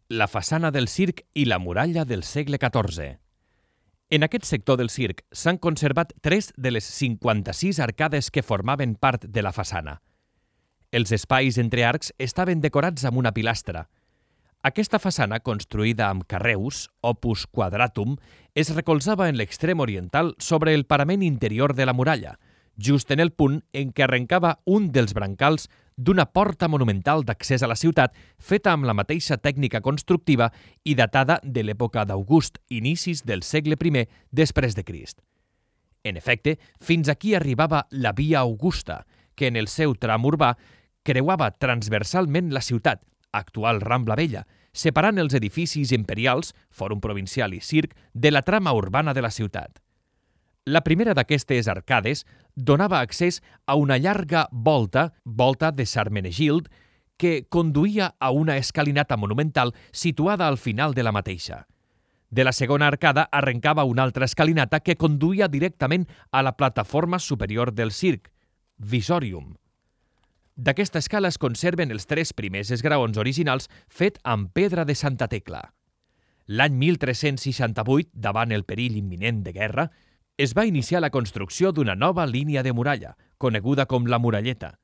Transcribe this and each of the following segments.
la façana del circ i la muralla del segle XIV. En aquest sector del circ s'han conservat 3 de les 56 arcades que formaven part de la façana. Els espais entre arcs estaven decorats amb una pilastra. Aquesta façana, construïda amb carreus, opus quadratum, es recolzava en l'extrem oriental sobre el parament interior de la muralla, just en el punt en què arrencava un dels brancals d'una porta monumental d'accés a la ciutat feta amb la mateixa tècnica constructiva i datada de l'època d'August, inicis del segle I després de Crist. En efecte, fins aquí arribava la Via Augusta, que en el seu tram urbà creuava transversalment la ciutat, actual Rambla Vella, separant els edificis imperials, Fòrum Provincial i Circ, de la trama urbana de la ciutat. La primera d'aquestes arcades donava accés a una llarga volta de Sarmenegild, que conduïa a una escalinata monumental situada al final de la mateixa. De la segona arcada arrencava una altra escalinata que conduïa directament a la plataforma superior del circ, Visorium. D'aquesta escala es conserven els 3 primers esgraons originals fet amb pedra de Santa Tecla. L'any 1368, davant el perill imminent de guerra, es va iniciar la construcció d'una nova línia de muralla, coneguda com la Muralleta.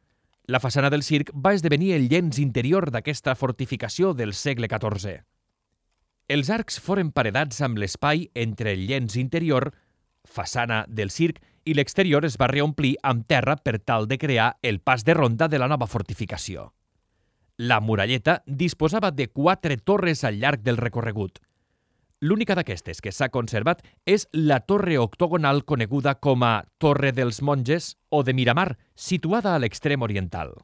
La façana del circ va esdevenir el llenç interior d'aquesta fortificació del segle XIV. Els arcs foren paredats amb l'espai entre el llenç interior, façana del circ, i l'exterior es va reomplir amb terra per tal de crear el pas de ronda de la nova fortificació. La Muralleta disposava de 4 torres al llarg del recorregut. L'única d'aquestes que s'ha conservat és la torre octogonal coneguda com a Torre dels Monges o de Miramar, situada a l'extrem oriental.